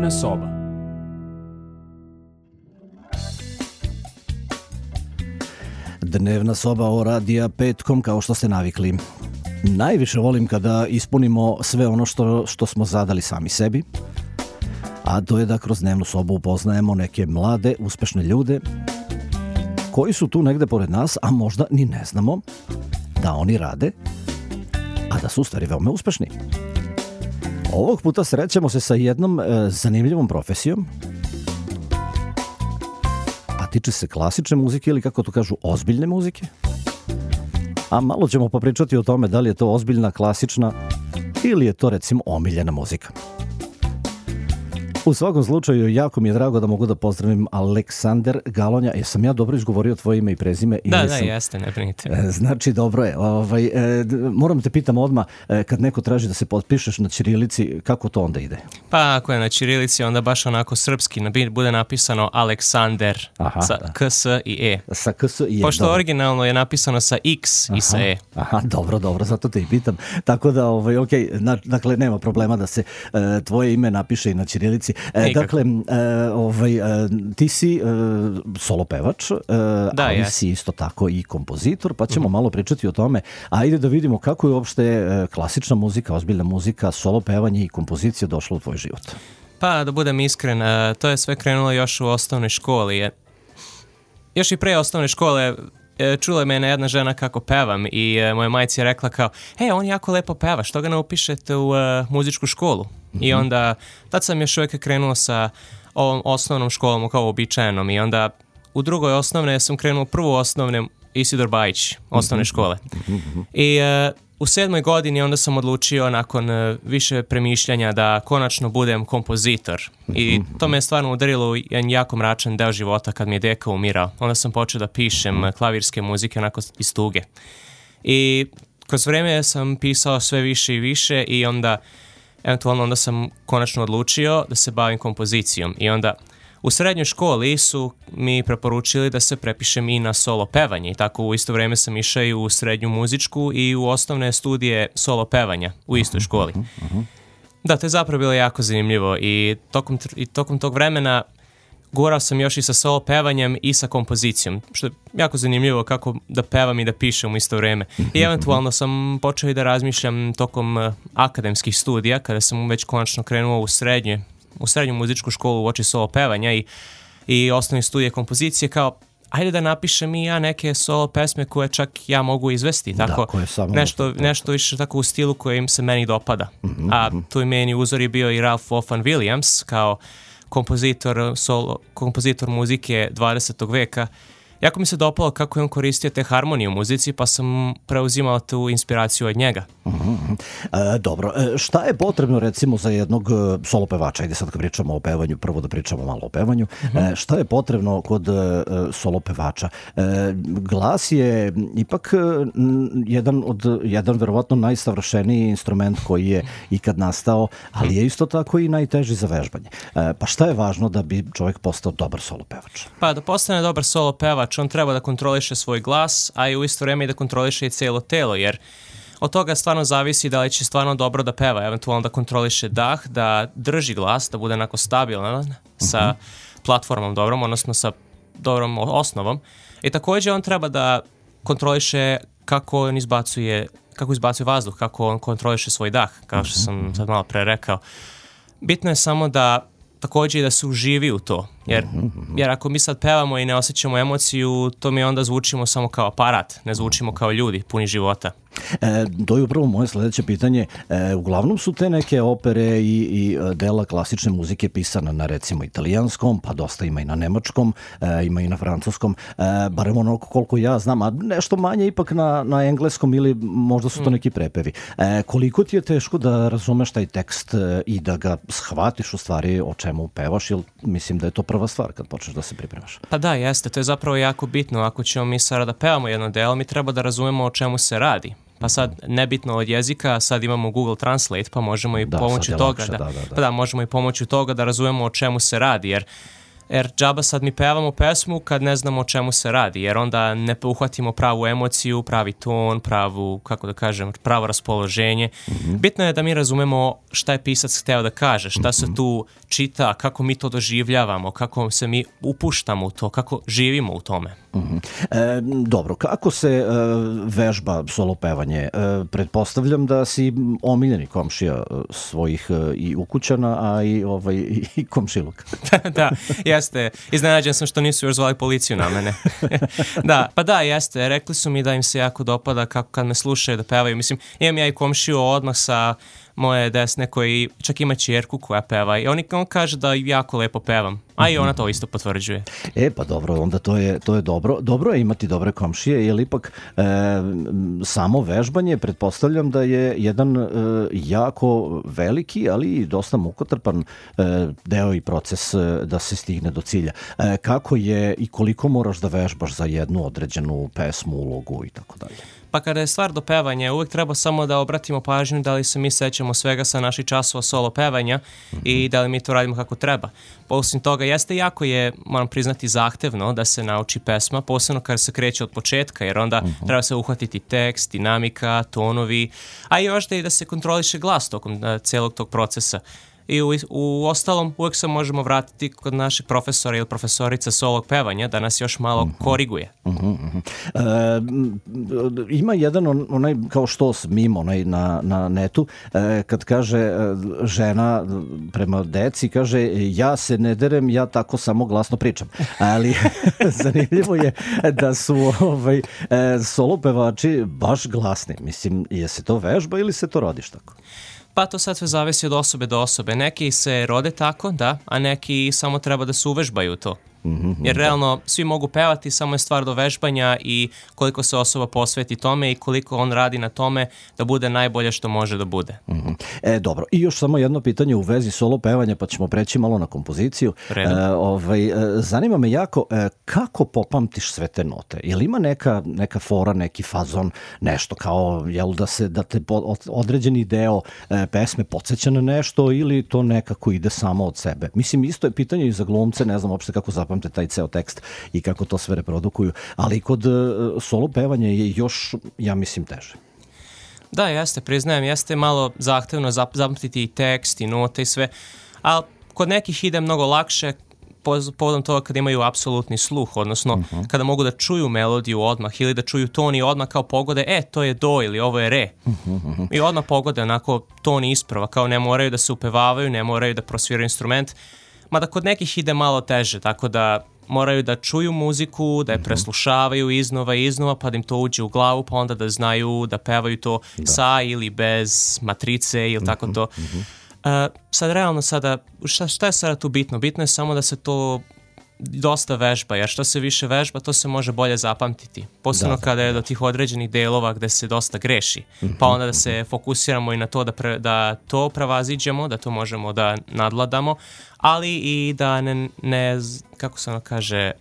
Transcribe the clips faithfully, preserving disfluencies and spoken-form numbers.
Dnevna soba. Dnevna soba o radija petkom, kao što ste navikli. Najviše volim kada ispunimo sve ono što, što smo zadali sami sebi, a to je da kroz dnevnu sobu upoznajemo neke mlade, uspešne ljude koji su tu negde pored nas, a možda ni ne znamo da oni rade, a da su u stvari veoma uspešni. Ovog puta srećemo se sa jednom e, zanimljivom profesijom, a tiče se klasične muzike ili, kako to kažu, ozbiljne muzike. A malo ćemo popričati o tome da li je to ozbiljna, klasična ili je to, recimo, omiljena muzika. U svakom slučaju, jako mi je drago da mogu da pozdravim Aleksander Galonja. Jesam ja dobro izgovorio tvoje ime i prezime? Da, Ili da, sam... jeste, ne brinite. Znači, dobro je. Ovaj, e, moram te pitam odmah, e, kad neko traži da se potpišeš na ćirilici, kako to onda ide? Pa ako je na ćirilici, onda baš onako srpski bude napisano Aleksander. Aha, sa da. K, S i E. Sa K, S i E. Pošto dobro. Originalno je napisano sa X aha, i sa E. Aha, dobro, dobro, zato te i pitam. Tako da, ovaj, ok, na, dakle, nema problema da se e, tvoje ime napiše i na ćirilici. E, dakle, e, ovaj, e, ti si e, solo pevač, e, da, ali je. si isto tako i kompozitor, pa ćemo mm-hmm. malo pričati o tome. Ajde da vidimo kako je uopšte e, klasična muzika, ozbiljna muzika, solo pevanje i kompozicija došla u tvoj život. Pa, da budem iskren, e, to je sve krenulo još u osnovnoj školi. Je. Još i pre osnovne škole e, čula me jedna žena kako pevam i e, moja majci je rekla kao, hej, on jako lepo peva, što ga ne upišete u e, muzičku školu? Mm-hmm. I onda, tad sam još uvijek krenuo sa ovom osnovnom školom kao običajenom i onda u drugoj osnovne sam krenuo prvo osnovne Isidor Bajić, osnovne škole. Mm-hmm. I e, u sedmoj godini onda sam odlučio nakon e, više premišljanja da konačno budem kompozitor. I to me je stvarno udarilo u jedan jako mračan deo života kad mi je deka umirao. Onda sam počeo da pišem klavirske muzike onako iz tuge. I kroz vreme sam pisao sve više i više i onda eventualno onda sam konačno odlučio da se bavim kompozicijom. I onda u srednjoj školi su mi preporučili da se prepišem i na solo pevanje i tako u isto vrijeme sam išao i u srednju muzičku i u osnovne studije solo pevanja u istoj školi. Da, to je zapravo bilo jako zanimljivo i tokom, i tokom tog vremena gurao sam još i sa solo pevanjem i sa kompozicijom, što je jako zanimljivo kako da pevam i da pišem u isto vrijeme. I eventualno sam počeo i da razmišljam tokom uh, akademskih studija, kada sam već konačno krenuo u srednje, u srednju muzičku školu u oči solo pevanja i, i osnovne studije kompozicije, kao ajde da napišem i ja neke solo pesme koje čak ja mogu izvesti, tako da, nešto, nešto više tako u stilu koji im se meni dopada. Mm-hmm. A tu i meni uzor je bio i Ralph Vaughan Williams kao kompozitor, solo, kompozitor muzike dvadesetog veka. Jako mi se dopalo kako je on koristio te harmonije u muzici, pa sam preuzimao tu inspiraciju od njega. Mm-hmm. E, dobro, e, šta je potrebno recimo za jednog solo pevača? Ajde sad kad pričamo o pevanju, prvo da pričamo malo o pevanju. Mm-hmm. E, šta je potrebno kod e, solo pevača? E, glas je ipak m, jedan od, jedan verovatno najsavršeniji instrument koji je ikad nastao, ali je isto tako i najteži za vežbanje. E, pa šta je važno da bi čovjek postao dobar solo pevač? Pa da postane dobar solo pevač, on treba da kontroliše svoj glas, a i u isto vrijeme i da kontroliše i cijelo telo, jer od toga stvarno zavisi da li će stvarno dobro da peva, eventualno da kontroliše dah, da drži glas, da bude onako stabilan sa uh-huh. platformom dobrom, odnosno sa dobrom osnovom. I također on treba da kontroliše kako on izbacuje, kako izbacuje vazduh, kako on kontroliše svoj dah, kao što sam sad malo pre rekao. Bitno je samo da također i da se uživi u to, jer, jer ako mi sad pevamo i ne osjećamo emociju, to mi onda zvučimo samo kao aparat, ne zvučimo kao ljudi, puni života. E, to je upravo moje sljedeće pitanje. E, uglavnom su te neke opere i, i dela klasične muzike pisana na recimo italijanskom, pa dosta ima i na nemačkom, e, ima i na francuskom, e, barem ono koliko ja znam, a nešto manje ipak na, na engleskom ili možda su to neki prepevi. E, koliko ti je teško da razumeš taj tekst e, i da ga shvatiš u stvari o čemu pevaš, jer mislim da je to prva stvar kad počneš da se pripremaš. Pa da, jeste, to je zapravo jako bitno. Ako ćemo mi sada da pevamo jedno delo, mi treba da razumemo o čemu se radi. Pa sad, nebitno od jezika, sad imamo Google Translate, pa možemo i da, pomoću toga lakše, da, da, da, da. Pa da, možemo i pomoću toga da razumemo o čemu se radi, jer Jer džaba sad mi pevamo pesmu kad ne znamo o čemu se radi, jer onda ne uhvatimo pravu emociju, pravi ton, pravu, kako da kažem, pravo raspoloženje. Mm-hmm. Bitno je da mi razumemo šta je pisac hteo da kaže, šta se tu čita, kako mi to doživljavamo, kako se mi upuštamo u to, kako živimo u tome. Mm-hmm. E, dobro, kako se e, vežba solo pevanje? E, pretpostavljam da si omiljeni komšija svojih e, i ukućana, a i, ovaj, i, i komšiluka. Da, jeste. Iznenađen sam što nisu još zvali policiju na mene. Da, pa da, jeste. Rekli su mi da im se jako dopada kako kad me slušaju da pevaju. Mislim, imam ja i komšiju odmah sa moje desne koji čak ima ćerku koja peva i on, on kaže da jako lepo pevam, a i ona to isto potvrđuje. E, pa dobro, onda to je, to je dobro. Dobro je imati dobre komšije, jer ipak e, samo vežbanje, pretpostavljam da je jedan e, jako veliki, ali i dosta mukotrpan e, deo i proces e, da se stigne do cilja. E, kako je i koliko moraš da vežbaš za jednu određenu pesmu, ulogu i tako dalje? Pa kada je stvar do pevanja, uvek treba samo da obratimo pažnju da li se mi sećamo svega sa naših časova solo pevanja mm-hmm. i da li mi to radimo kako treba. Osim toga, jeste jako je, moram priznati, zahtevno da se nauči pesma, posebno kada se kreće od početka, jer onda mm-hmm. treba se uhvatiti tekst, dinamika, tonovi, a i još da i da se kontroliše glas tokom uh, celog tog procesa. I u, u ostalom uvek se možemo vratiti kod našeg profesora ili profesorica solog pevanja da nas još malo mm-hmm. koriguje. Mm-hmm. E, ima jedan on, onaj kao što mim onaj na, na netu e, kad kaže žena prema deci, kaže ja se ne derem, ja tako samo glasno pričam. Ali zanimljivo je da su ovaj, e, solo pevači baš glasni. Mislim, je se to vežba ili se to rodiš tako? Pa to sad sve zavisi od osobe do osobe. Neki se rode tako, da, a neki samo treba da se uvežbaju to. Mm-hmm, jer realno da. Svi mogu pevati, samo je stvar do vežbanja i koliko se osoba posveti tome i koliko on radi na tome da bude najbolje što može da bude. Mm-hmm. E, dobro, i još samo jedno pitanje u vezi solo pevanja, pa ćemo preći malo na kompoziciju. E, ovaj, e, zanima me jako, e, kako popamtiš sve te note? Je li ima neka, neka fora, neki fazon, nešto kao, jel da se, da te po, određeni deo e, pesme podsjeća na nešto ili to nekako ide samo od sebe? Mislim, isto je pitanje i za glumce, ne znam uopšte kako zapamte taj ceo tekst i kako to sve reprodukuju, ali kod uh, solo pevanja je još, ja mislim, teže. Da, jeste, priznajem, jeste malo zahtevno zapamtiti i tekst i note i sve, ali kod nekih ide mnogo lakše povodom toga kada imaju apsolutni sluh, odnosno uh-huh. kada mogu da čuju melodiju odmah ili da čuju ton i odmah kao pogode, e, to je do ili ovo je re. Uh-huh. I odmah pogode onako ton isprava, kao ne moraju da se upevavaju, ne moraju da prosviraju instrument, mada kod nekih ide malo teže, tako da moraju da čuju muziku, da je preslušavaju iznova i iznova, pa da im to uđe u glavu, pa onda da znaju da pevaju to da. Sa ili bez matrice ili tako to. Uh, sad realno sada, šta, šta je sada tu bitno? Bitno je samo da se to dosta vežba, jer što se više vežba, to se može bolje zapamtiti. Posebno da, kada je do tih određenih delova gde se dosta greši. Mm-hmm. Pa onda da se fokusiramo i na to da, pre, da to prevaziđemo, da to možemo da nadladamo, ali i da ne, ne kako se ono kaže,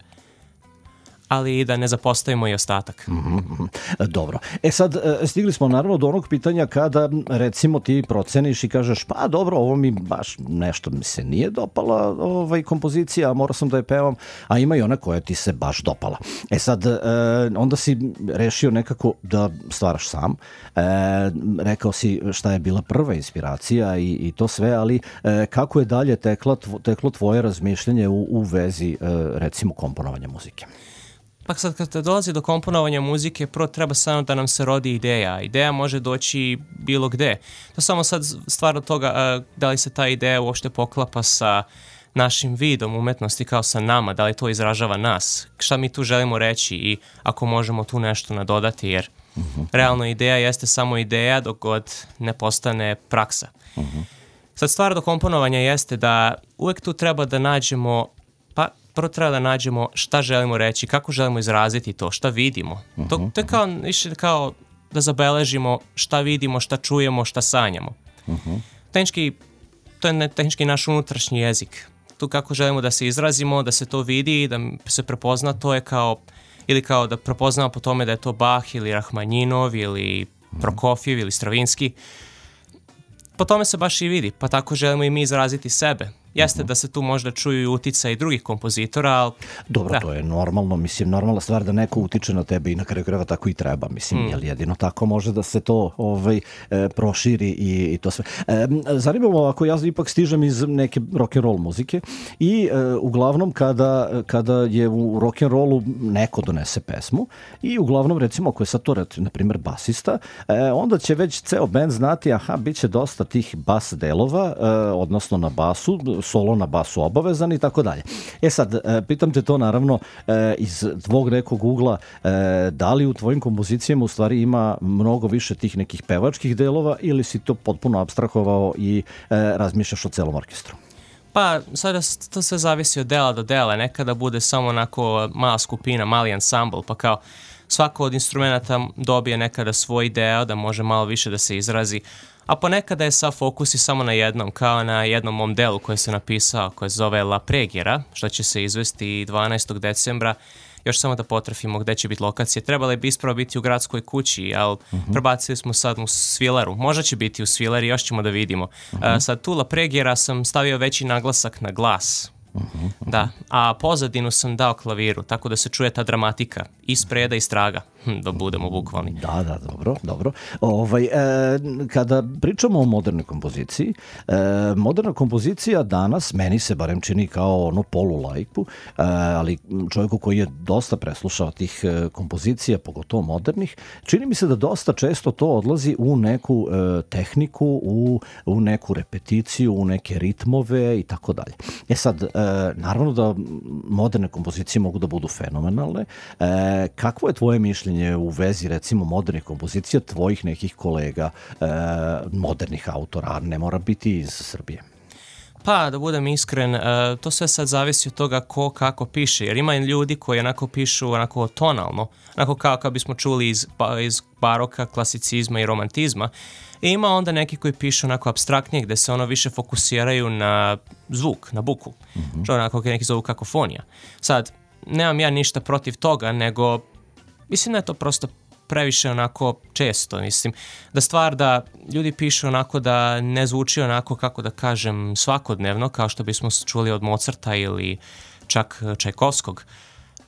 ali i da ne zapostavimo i ostatak. Mm-hmm. Dobro. E sad, stigli smo naravno do onog pitanja kada, recimo, ti proceniš i kažeš, pa dobro, ovo mi baš nešto mi se nije dopala ovaj, kompozicija, a morao sam da je pevam, a ima i ona koja ti se baš dopala. E sad, e, onda si rešio nekako da stvaraš sam. E, rekao si šta je bila prva inspiracija i, i to sve, ali e, kako je dalje tekla, teklo tvoje razmišljanje u, u vezi, e, recimo, komponovanja muzike? Pa sad kad dolazi do komponovanja muzike, prvo treba samo da nam se rodi ideja. Ideja može doći bilo gde. To samo sad stvar od toga da li se ta ideja uopšte poklapa sa našim vidom umetnosti kao sa nama, da li to izražava nas, šta mi tu želimo reći i ako možemo tu nešto nadodati, jer uh-huh. realno ideja jeste samo ideja dok god ne postane praksa. Uh-huh. Sad stvar do komponovanja jeste da uvek tu treba da nađemo, pa prvo treba da nađemo šta želimo reći, kako želimo izraziti to, šta vidimo. Uh-huh. To, to je kao, više kao da zabeležimo šta vidimo, šta čujemo, šta sanjamo. Uh-huh. Tehnički, to je tehnički naš unutrašnji jezik. Tu kako želimo da se izrazimo, da se to vidi, da se prepozna, to je kao, ili kao da prepoznamo po tome da je to Bach ili Rahmanjinov ili Prokofjev ili Stravinski. Po tome se baš i vidi, pa tako želimo i mi izraziti sebe. Jeste da se tu možda čuju i uticaj drugih kompozitora, ali... Dobro, da. To je normalno, mislim, normalna stvar da neko utiče na tebe i na kraju krajeva tako i treba, mislim, mm. jer jedino tako može da se to ovaj, e, proširi i, i to sve. E, zanimljivo, ako ja ipak stižem iz neke rock'n'roll muzike i e, uglavnom kada, kada je u rock'n'rollu neko donese pesmu i uglavnom, recimo, ako je sad to, na primjer, basista, e, onda će već ceo band znati, aha, bit će dosta tih bas delova, e, odnosno na basu, solo na basu obavezan i tako dalje. E sad, pitam te to naravno iz tvog nekog ugla, da li u tvojim kompozicijama u stvari ima mnogo više tih nekih pevačkih delova ili si to potpuno apstrahovao i razmišljaš o celom orkestru? Pa, sada to sve zavisi od dela do dela. Nekada bude samo onako mala skupina, mali ansambl, pa kao svako od instrumenta dobije nekada svoj deo, da može malo više da se izrazi. A ponekada je sav fokus i samo na jednom, kao na jednom mom delu koje se napisao, koje se zove La Preghiera, što će se izvesti dvanaestog decembra. Još samo da potrafimo gde će biti lokacije. Trebalo bi ispravo biti u gradskoj kući, ali uh-huh. prebacili smo sad u Svileru. Možda će biti u Svileri, još ćemo da vidimo. Uh-huh. Uh, sad tu La Preghiera sam stavio veći naglasak na glas. Uh-huh, uh-huh. Da, a pozadinu sam dao klaviru, tako da se čuje ta dramatika i spreda i straga, hm, da budemo bukvalni. Da, da, dobro, dobro. Ovaj, e, kada pričamo o modernoj kompoziciji, e, moderna kompozicija danas, meni se barem čini kao ono polulajku, e, ali čovjeku koji je dosta preslušao tih e, kompozicija, pogotovo modernih, čini mi se da dosta često to odlazi u neku e, tehniku, u, u neku repeticiju, u neke ritmove i tako dalje. E sad, e, naravno da moderne kompozicije mogu da budu fenomenalne. E, kakvo je tvoje mišljenje u vezi, recimo, modernih kompozicija tvojih nekih kolega, e, modernih autora, ne mora biti iz Srbije? Pa, da budem iskren, to sve sad zavisi od toga ko kako piše, jer ima ljudi koji onako pišu onako tonalno, onako kao kad bismo čuli iz, iz baroka, klasicizma i romantizma. I ima onda neki koji pišu onako apstraktnije, gde se ono više fokusiraju na zvuk, na buku, mm-hmm. što onako neki zovu kakofonija. Sad, nemam ja ništa protiv toga, nego mislim da je to prosto previše onako često, mislim, da stvar da ljudi pišu onako da ne zvuči onako, kako da kažem, svakodnevno, kao što bismo čuli od Mozarta ili čak Čajkovskog,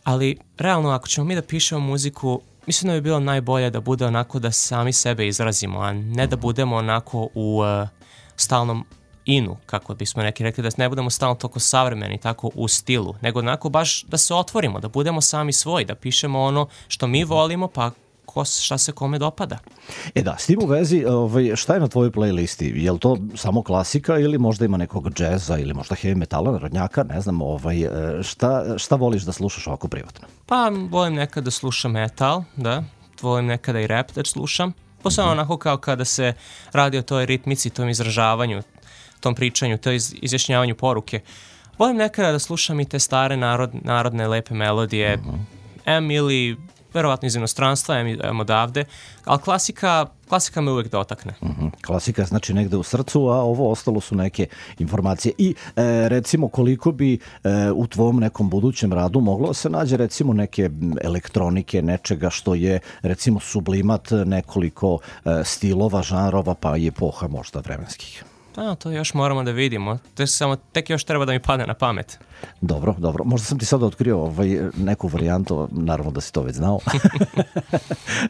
ali realno ako ćemo mi da pišemo muziku, mislim da bi bilo najbolje da bude onako da sami sebe izrazimo, a ne da budemo onako u uh, stalnom inu, kako bismo neki rekli, da ne budemo stalno toliko savremeni, tako u stilu, nego onako baš da se otvorimo, da budemo sami svoji, da pišemo ono što mi volimo, pa ko, šta se kome dopada. E da, s tim u vezi, ovaj, šta je na tvojoj playlisti? Je li to samo klasika ili možda ima nekog džeza ili možda heavy metala, narodnjaka, ne znam, ovaj, šta, šta voliš da slušaš ovako privatno? Pa, volim nekada da slušam metal, da, volim nekada i rap da slušam, posebno mm-hmm. onako kao kada se radi o toj ritmici, tom izražavanju, tom pričanju, to iz, izjašnjavanju poruke. Volim nekada da slušam i te stare narod, narodne lepe melodije, mm-hmm. em ili verovatno iz inostranstva, em, em odavde, ali klasika, klasika me uvijek dotakne. Mm-hmm. Klasika znači negde u srcu, a ovo ostalo su neke informacije. I e, recimo koliko bi e, u tvom nekom budućem radu moglo se nađe recimo neke elektronike, nečega što je recimo sublimat nekoliko e, stilova, žanrova, pa i epoha možda vremenskih? Da, to još moramo da vidimo. To je samo, tek još treba da mi padne na pamet. Dobro, dobro. Možda sam ti sada otkrio ovaj, neku varijantu, naravno da si to već znao.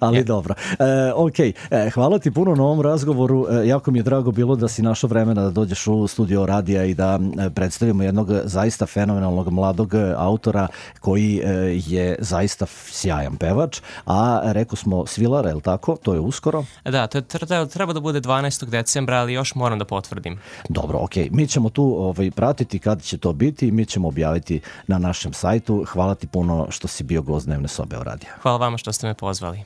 Ali yeah. dobro. E, ok, e, hvala ti puno na ovom razgovoru. E, jako mi je drago bilo da si našao vremena da dođeš u studio radija i da predstavimo jednog zaista fenomenalnog mladog autora koji e, je zaista sjajan pevač, a rekao smo Svilara, je li tako? To je uskoro? Da, to je, treba, treba da bude dvanaestog decembra, ali još moram da potvrdim. Dobro, ok. Mi ćemo tu ovaj, pratiti kada će to biti i mi ćemo objaviti na našem sajtu. Hvala ti puno što si bio gost Dnevne sobe o radija. Hvala vama što ste me pozvali.